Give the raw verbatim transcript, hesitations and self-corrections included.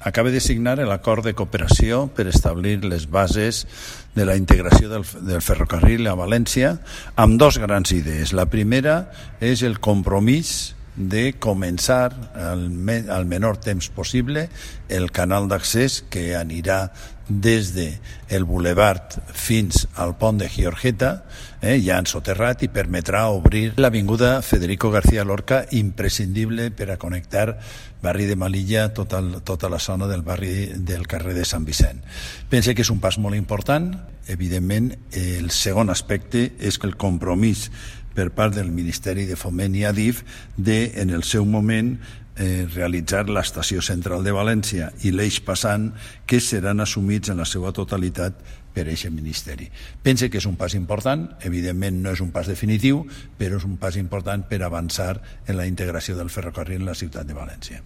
acaba de signar l'acord de cooperació per establir les bases de la integració del, del ferrocarril a València amb dos grans idees. La primera és el compromís de començar al, me, al menor temps possible el canal d'accés que anirà des del bulevard fins al pont de Giorgeta, eh, ja ensoterrat, i permetrà obrir l'avinguda Federico García Lorca, imprescindible per a connectar barri de Melilla, tota, tota la zona del barri del carrer de Sant Vicent. Pense que és un pas molt important. Evidentment, el segon aspecte és el compromís per part del Ministeri de Foment i Adif de, en el seu moment, eh, realitzar l'estació central de València i l'eix passant, que seran assumits en la seva totalitat per aquest ministeri. Pense que és un pas important, evidentment no és un pas definitiu, però és un pas important per avançar en la integració del ferrocarril en la ciutat de València.